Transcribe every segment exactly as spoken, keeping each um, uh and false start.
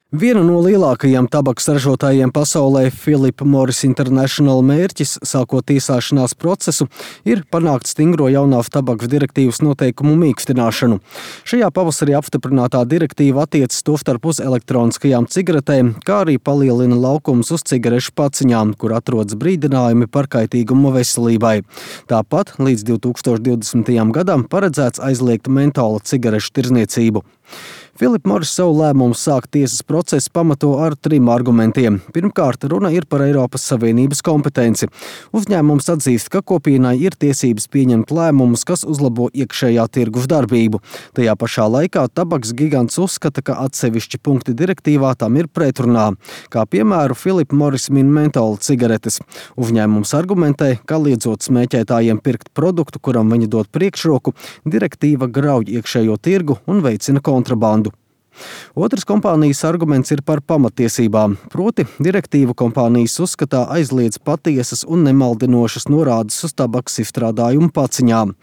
Viena no lielākajiem tabakas ražotājiem pasaulē, Philip Morris International mērķis, sākot tiesāšanās procesu, ir panākt stingro jaunās tabakas direktīvas noteikumu mīkstināšanu. Šajā pavasarī apstiprinātā direktīva attiecas tostarp uz elektroniskajām cigaretēm, kā arī palielina laukumus uz cigarešu paciņām, kur atrodas brīdinājumi par kaitīgumu veselībai. Tāpat līdz divi tūkstoši divdesmitajam gadam paredzēts aizliegt mentola cigarešu tirdzniecību. Philip Morris savu lēmumu sākt tiesas procesu pamato ar trim argumentiem. Pirmkārt, runa ir par Eiropas Savienības kompetenci. Uzņēmums atzīst, ka kopienai ir tiesības pieņemt lēmumus, kas uzlabo iekšējā tirgus darbību. Tajā pašā laikā tabakas gigants uzskata, ka atsevišķi punkti direktīvā tam ir pretrunā. Kā piemēru, Philip Morris min mentola cigaretes. Uzņēmums argumentē, ka liedzot smēķētājiem pirkt produktu, kuram viņi dod priekšroku, direktīva grauj iekšējo tirgu un veicina kontrabandu. Otrs kompānijas arguments ir par pamatiesībām, proti direktīvu kompānijas uzskatā aizliedz patiesas un nemaldinošas norādes uz tabakas izstrādājumu paciņām.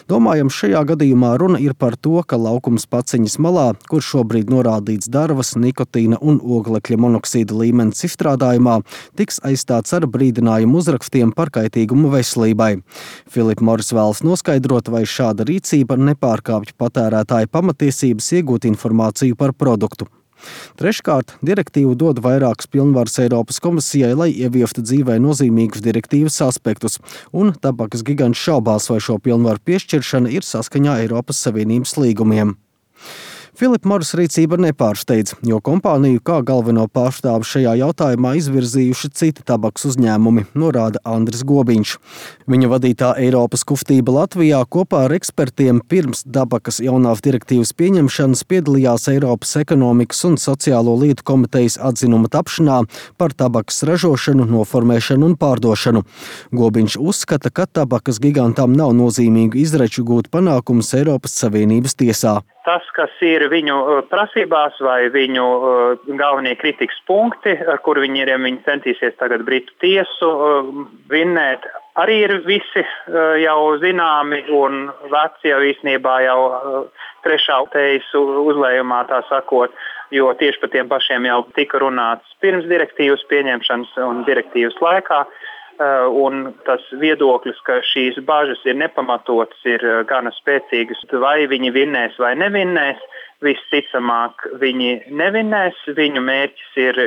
Domājams, šajā gadījumā runa ir par to, ka laukums paciņas malā, kur šobrīd norādīts darvas, nikotīna un oglekļa monoksīda līmenis izstrādājumā, tiks aizstāts ar brīdinājumu uzrakstiem par kaitīgumu veselībai. Philip Morris vēlas noskaidrot, vai šāda rīcība nepārkāpj patērētāju pamatiesības iegūt informāciju par produktu. Treškārt, direktīva dod vairākas pilnvaras Eiropas komisijai, lai ieviestu dzīvē nozīmīgus direktīvas aspektus, un tabakas gigants šaubās, vai šo pilnvaru piešķiršana ir saskaņā Eiropas Savienības līgumiem. Philip Morris rīcība nepārsteidz, jo kompāniju kā galveno pārstāvu šajā jautājumā izvirzījuši citi tabakas uzņēmumi, norāda Andris Gobiņš. Viņa vadītā Eiropas kustība Latvijā kopā ar ekspertiem pirms tabakas jaunās direktīvas pieņemšanas piedalījās Eiropas ekonomikas un sociālo lietu komitejas atzinuma tapšanā par tabakas ražošanu, noformēšanu un pārdošanu. Gobiņš uzskata, ka tabakas gigantam nav nozīmīgu izreču gūt panākumus Eiropas Savienības tiesā. Tas, kas ir viņu prasībās vai viņu galvenie kritikas punkti, ar kur viņiem viņi centīsies tagad Britu tiesu vinnēt, arī ir visi jau zināmi un veci jau īstenībā jau trešā tejas uzlējumā, tā sakot, jo tieši par tiem pašiem jau tika runāts pirms direktīvas pieņemšanas un direktīvas laikā. Un tas viedoklis, ka šīs bažas ir nepamatotas, ir gana spēcīgas. Vai viņi vinnēs vai nevinnēs, visticamāk viņi nevinnēs. Viņu mērķis ir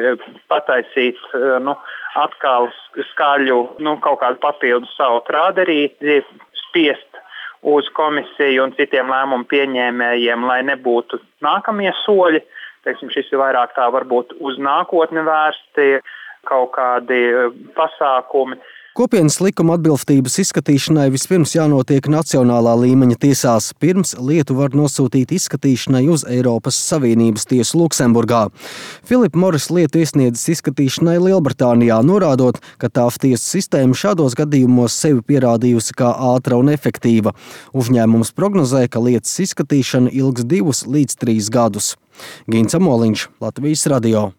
pataisīt nu, atkal skaļu nu, kaut kādu papildu savu trāderīti, spiest uz komisiju un citiem lēmumu pieņēmējiem, lai nebūtu nākamie soļi. Teiksim, šis ir vairāk tā varbūt uz nākotni vērsti. Kaut kādi pasākumi. Kopienas likuma atbilstības izskatīšanai vispirms jānotiek nacionālā līmeņa tiesās. Pirms lietu var nosūtīt izskatīšanai uz Eiropas Savienības tiesu Luksemburgā. Philip Morris lietu iesniedzis izskatīšanai Lielbritānijā, norādot, ka tās tiesas sistēma šādos gadījumos sevi pierādījusi kā ātra un efektīva. Uzņēmums prognozē, ka lietas izskatīšana ilgs divus līdz trīs gadus. Gins Amoliņš, Latvijas radio.